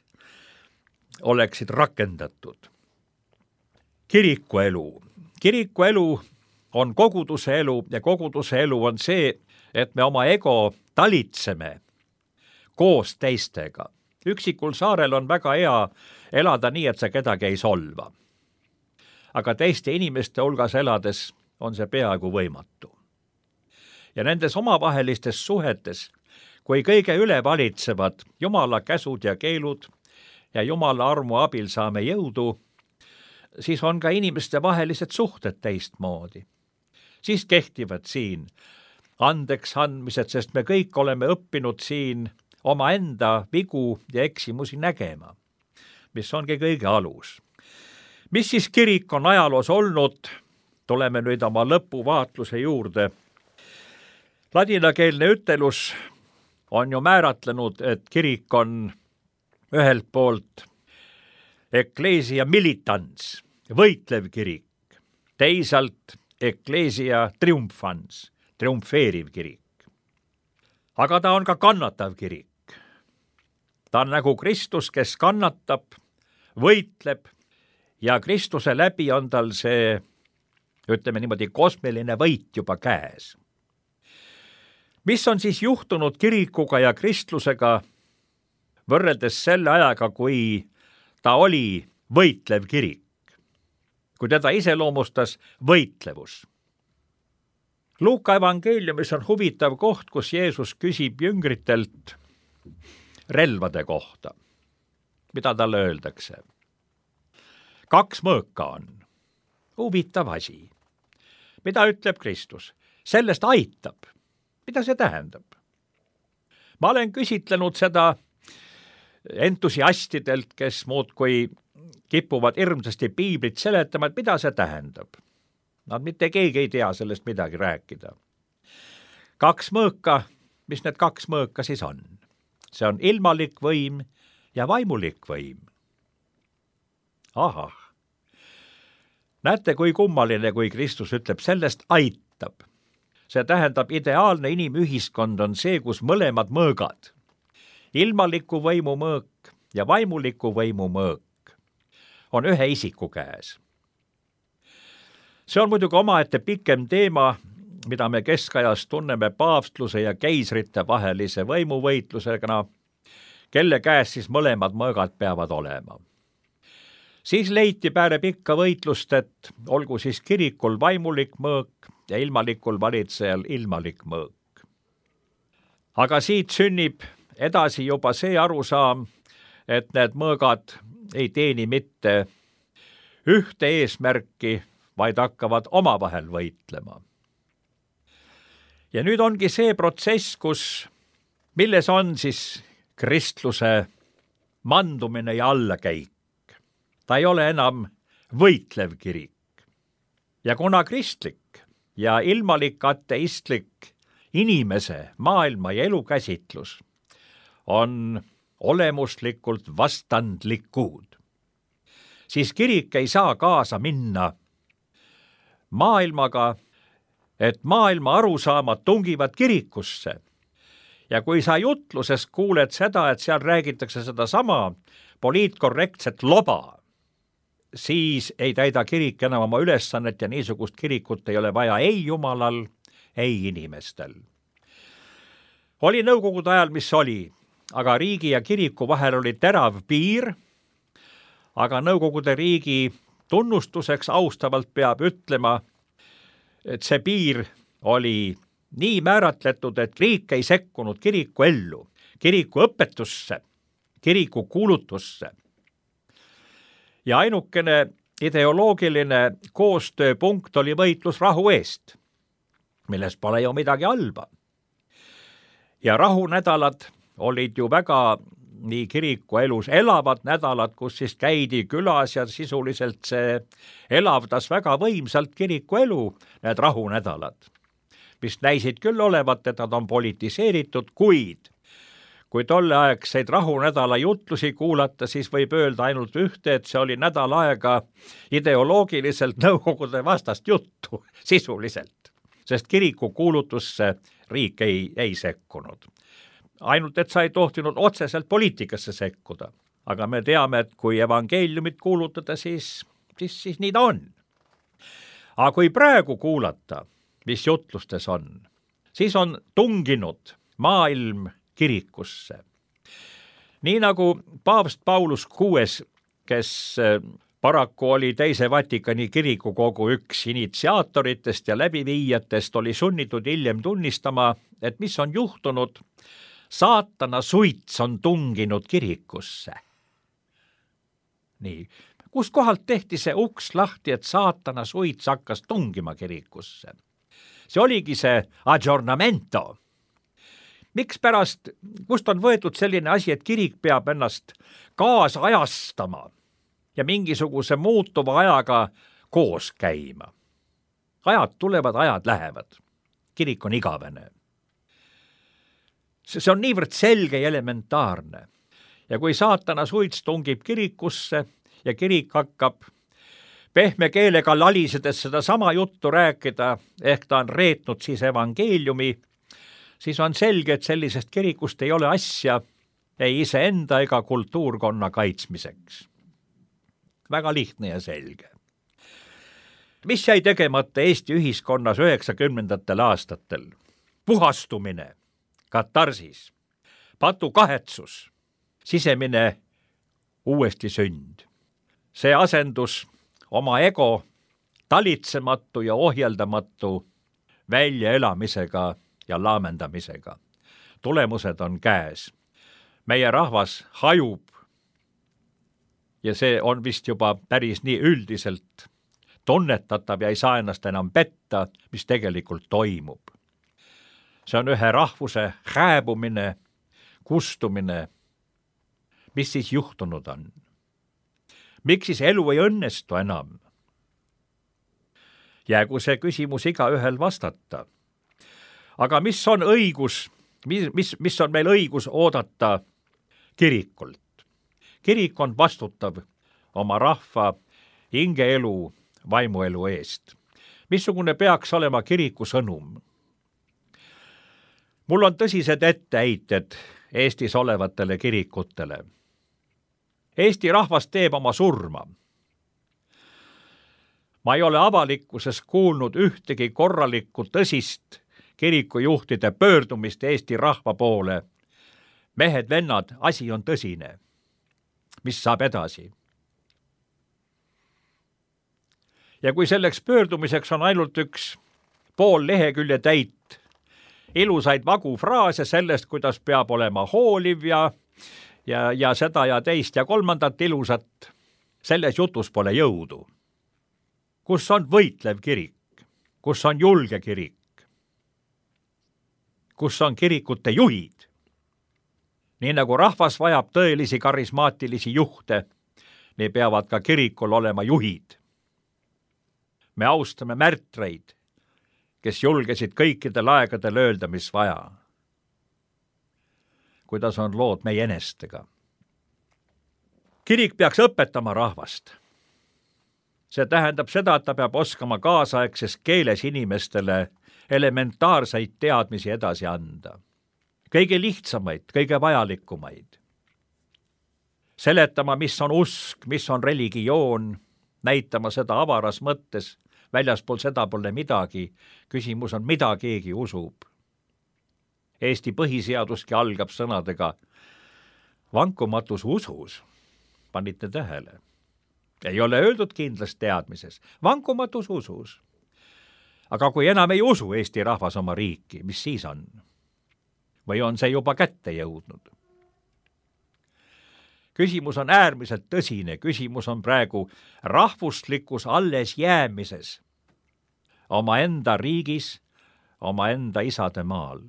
C: oleksid rakendatud. Kirikuelu. Kirikuelu on koguduse elu ja koguduse elu on see, et me oma ego talitseme koos teistega. Üksikul saarel on väga hea elada nii, et sa kedagi ei solva. Aga teiste inimeste hulgas elades on see peaaegu võimatu. ja nendes omavahelistes suhetes, kui kõige üle valitsevad Jumala käsud ja keelud ja Jumala armu abil saame jõudu, siis on ka inimeste vahelised suhted teistmoodi. Siis kehtivad siin andeks andmised, sest me kõik oleme õppinud siin omaenda vigu ja eksimusi nägema, mis ongi kõige alus. Mis siis kirik on ajaloos olnud? Tuleme nüüd oma lõpuvaatluse juurde. Ladinakeelne ütelus on ju määratlenud, et kirik on ühelt poolt ecclesia militans, võitlev kirik, teisalt ecclesia triumphans, triumfeeriv kirik. Aga ta on ka kannatav kirik. Ta on nagu Kristus, kes kannatab, võitleb ja Kristuse läbi on tal see, ütleme niimoodi, kosmiline võit juba käes. Mis on siis juhtunud kirikuga ja kristlusega võrreldes selle ajaga, kui ta oli võitlev kirik, kui teda iseloomustas võitlevus? Luuka evangeeliumis on huvitav koht, kus Jeesus küsib jüngritelt relvade kohta. Mida talle öeldakse? 2 mõõka on. Huvitav asi. Mida ütleb Kristus? Sellest aitab. Mida see tähendab? Ma olen küsitlenud seda entusiastidelt, kes muudkui kipuvad hirmsasti piiblit seletama, et mida see tähendab. Nad mitte keegi ei tea sellest midagi rääkida. 2 mõõka, mis need 2 mõõka siis on? See on ilmalik võim ja vaimulik võim. Ahah. Näete, kui kummaline, kui Kristus ütleb, sellest aitab. See tähendab, ideaalne inimühiskond on see, kus mõlemad mõõgad, ilmaliku võimu mõõk ja vaimuliku võimu mõõk, on ühe isiku käes. See on muidugi omaette pikem teema, mida me keskajas tunneme paavstluse ja keisrite vahelise võimuvõitlusega, kelle käes siis mõlemad mõõgad peavad olema. Siis leiti peale pikka võitlust, et olgu siis kirikul vaimulik mõõk ja ilmalikul valitsejal ilmalik mõõk. Aga siit sünnib edasi juba see arusaam, et need mõõgad ei teeni mitte ühte eesmärki, vaid hakkavad omavahel võitlema. Ja nüüd ongi see protsess, milles on siis kristluse mandumine ja allakäik. Ta ei ole enam võitlev kirik. Ja kuna kristlik ja ilmalik ateistlik inimese, maailma ja elukäsitlus on olemuslikult vastandlikud, siis kirik ei saa kaasa minna maailmaga, et maailma arusaamad tungivad kirikusse. Ja kui sa jutluses kuuled seda, et seal räägitakse seda sama poliitkorrektset loba, siis ei täida kirik enam oma ülesannet ja niisugust kirikut ei ole vaja ei Jumalal, ei inimestel. Oli nõukogude ajal, mis oli, aga riigi ja kiriku vahel oli terav piir, aga nõukogude riigi tunnustuseks austavalt peab ütlema, et see piir oli nii määratletud, et riik ei sekkunud kiriku ellu, kiriku õpetusse, kiriku kuulutusse. Ja ainukene ideoloogiline koostööpunkt oli võitlus rahu eest, milles pole ju midagi halba. Ja rahunädalad olid ju väga nii kiriku elus elavad nädalad, kus siis käidi külas ja sisuliselt see elavdas väga võimsalt kiriku elu, need rahunädalad, mis näisid küll olevat, et nad on politiseeritud, kuid kui tolleaegseid rahunädala jutlusi kuulata, siis võib öelda ainult ühte, et see oli nädal aega ideoloogiliselt nõukogude vastast juttu, sisuliselt, sest kiriku kuulutusse riik ei sekkunud. Ainult, et sa ei tohtinud otseselt poliitikasse sekkuda. Aga me teame, et kui evangeeliumit kuulutada, siis nii ta on. Aga kui praegu kuulata, mis jutlustes on, siis on tunginud maailm kirikusse. Nii nagu paavst Paulus VI, kes Paraku oli Teise Vatikani kirikukogu üks initsiaatoritest ja läbiviijatest oli sunnitud hiljem tunnistama, et mis on juhtunud, saatana suits on tunginud kirikusse. Nii, kust kohalt tehti see uks lahti, et saatana suits hakkas tungima kirikusse? See oligi see aggiornamento. Mikspärast, kust on võetud selline asi, et kirik peab ennast kaasajastama ja mingisuguse muutuva ajaga koos käima? Ajad tulevad, ajad lähevad. Kirik on igavene. See on niivõrd selge ja elementaarne. Ja kui saatana suits tungib kirikusse ja kirik hakkab pehme keelega lalisedes seda sama juttu rääkida, ehk ta on reetnud siis evangeeliumi, siis on selge, et sellisest kirikust ei ole asja ei iseenda ega kultuurkonna kaitsmiseks. Väga lihtne ja selge. Mis jäi tegemata Eesti ühiskonnas 90. aastatel? Puhastumine, katarsis, patu kahetsus, sisemine uuesti sünd. See asendus oma ego talitsematu ja ohjeldamatu väljaelamisega ja laamendamisega. Tulemused on käes. Meie rahvas hajub ja see on vist juba päris nii üldiselt tunnetatav ja ei saa ennast enam petta, mis tegelikult toimub. See on ühe rahvuse hääbumine, kustumine. Mis siis juhtunud on? Miks siis elu ei õnnestu enam? Jäägu see küsimus igaühel vastata. Aga mis on õigus, mis on meil õigus oodata kirikult? Kirik on vastutav oma rahva hingeelu, vaimuelu eest. Missugune peaks olema kiriku sõnum? Mul on tõsised etteheited Eestis olevatele kirikutele. Eesti rahvas teeb oma surma. Ma ei ole avalikkuses kuulnud ühtegi korralikku tõsist kirikujuhtide pöördumist Eesti rahva poole. Mehed, vennad, asi on tõsine. Mis saab edasi? Ja kui selleks pöördumiseks on ainult üks pool lehekülje täit ilusaid vagu fraase sellest, kuidas peab olema hooliv ja seda ja teist ja kolmandat ilusat, selles jutus pole jõudu. Kus on võitlev kirik? Kus on julge kirik? Kus on kirikute juhid? Nii nagu rahvas vajab tõelisi karismaatilisi juhte, nii peavad ka kirikul olema juhid. Me austame märtreid, kes julgesid kõikidel aegadel öelda, mis vaja. Kuidas on lood meie enestega? Kirik peaks õpetama rahvast. See tähendab seda, et ta peab oskama kaasaegses keeles inimestele elementaarseid teadmisi edasi anda. Kõige lihtsamaid, kõige vajalikumaid. Seletama, mis on usk, mis on religioon, näitama seda avaras mõttes, väljaspool seda pole midagi, küsimus on, mida keegi usub. Eesti põhiseaduski algab sõnadega vankumatus usus, panite tähele. Ei ole öeldud kindlas teadmises, vankumatus usus. Aga kui enam ei usu Eesti rahvas oma riiki, mis siis on? Või on see juba kätte jõudnud? Küsimus on äärmiselt tõsine, küsimus on praegu rahvuslikus alles jäämises omaenda riigis, omaenda isade maal.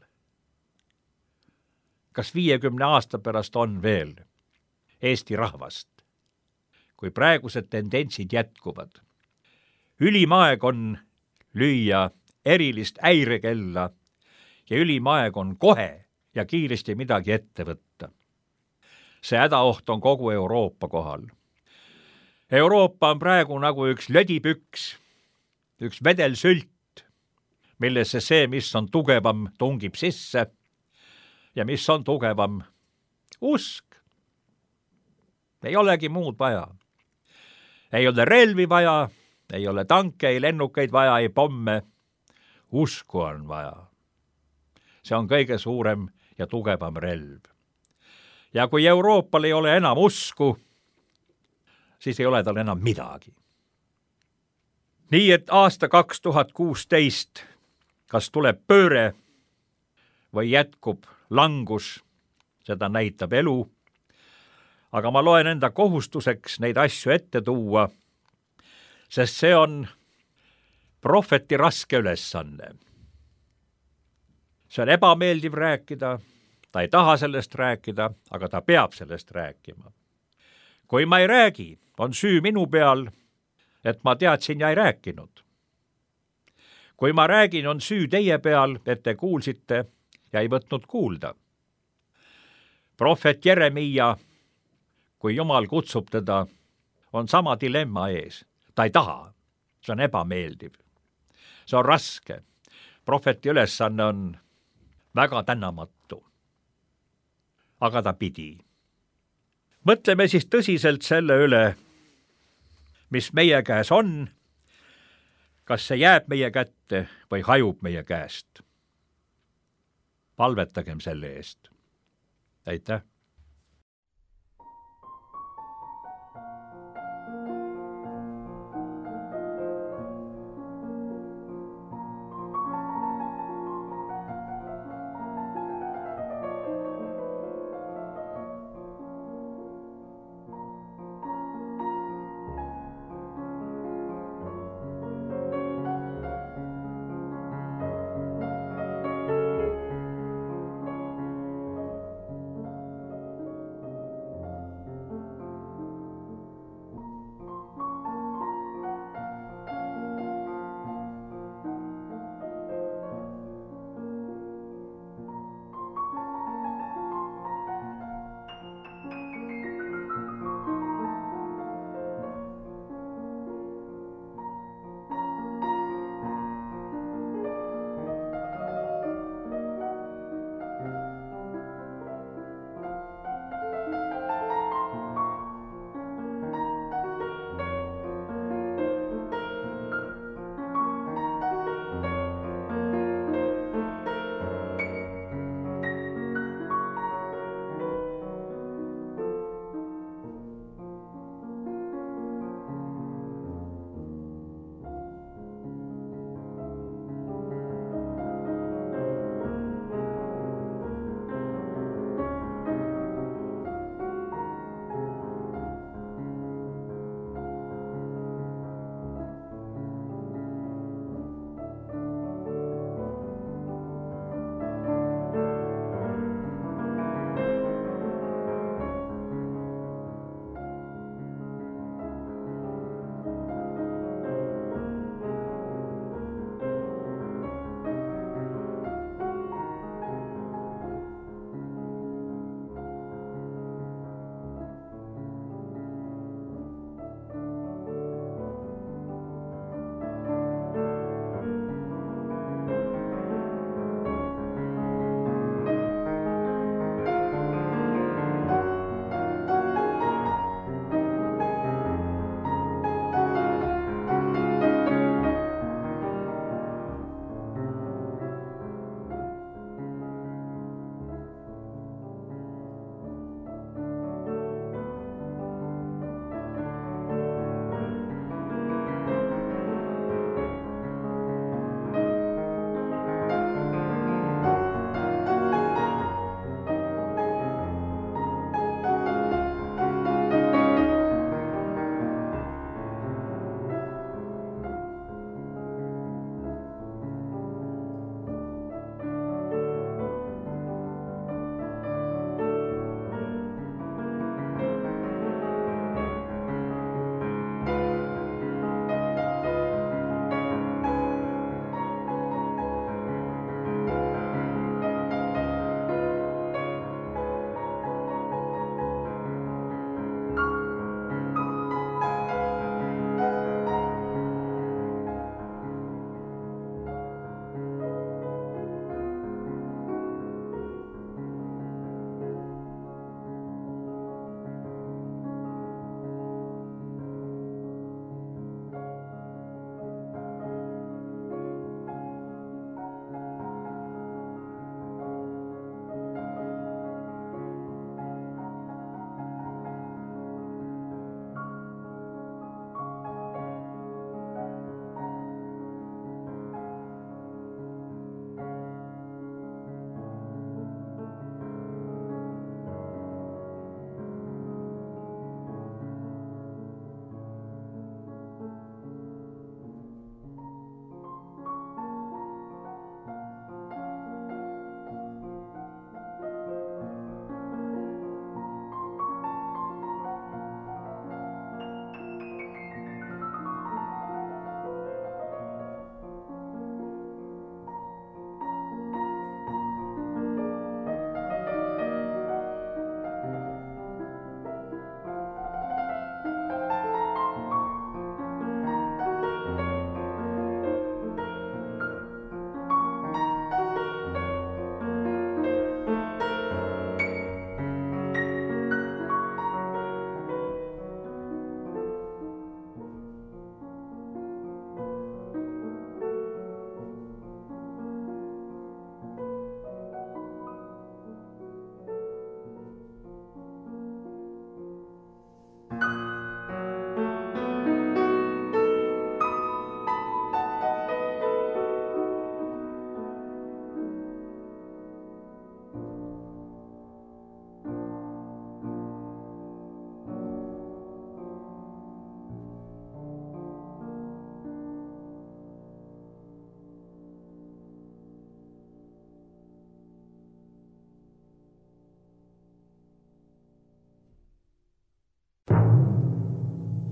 C: Kas 50 aasta pärast on veel Eesti rahvast, kui praegused tendentsid jätkuvad? Ülim aeg on lüüa erilist häirekella ja ülim aeg on kohe ja kiiresti midagi ette võtta. See hädaoht on kogu Euroopa kohal. Euroopa on praegu nagu üks lödipüks, üks vedelsült, millesse see, mis on tugevam, tungib sisse ja mis on tugevam, usk. Ei olegi muud vaja. Ei ole relvi vaja, ei ole tanke, ei lennukeid vaja, ei pomme. Usku on vaja. See on kõige suurem ja tugevam relv. Ja kui Euroopal ei ole enam usku, siis ei ole tal enam midagi. Nii et aasta 2016 kas tuleb pööre või jätkub langus, seda näitab elu, aga ma loen enda kohustuseks neid asju ette tuua, sest see on prohveti raske ülesanne. See on ebameeldiv rääkida, ta ei taha sellest rääkida, aga ta peab sellest rääkima. Kui ma ei räägi, on süü minu peal, et ma teadsin ja ei rääkinud. Kui ma räägin, on süü teie peal, et te kuulsite ja ei võtnud kuulda. Prohvet Jeremiia, kui Jumal kutsub teda, on sama dilemma ees. Ta ei taha, see on ebameeldiv. See on raske. Prohveti ülesanne on väga tänamatu. Aga ta pidi. Mõtleme siis tõsiselt selle üle, mis meie käes on, kas see jääb meie kätte või hajub meie käest. Palvetagem selle eest. Aitäh!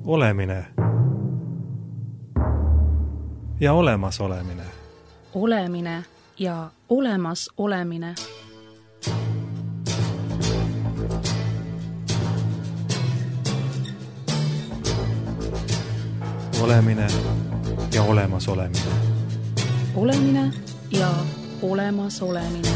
A: olemine ja olemasolemine.
B: Olemine ja olemasolemine.
A: Olemine ja olemasolemine.
B: Olemine ja olemasolemine.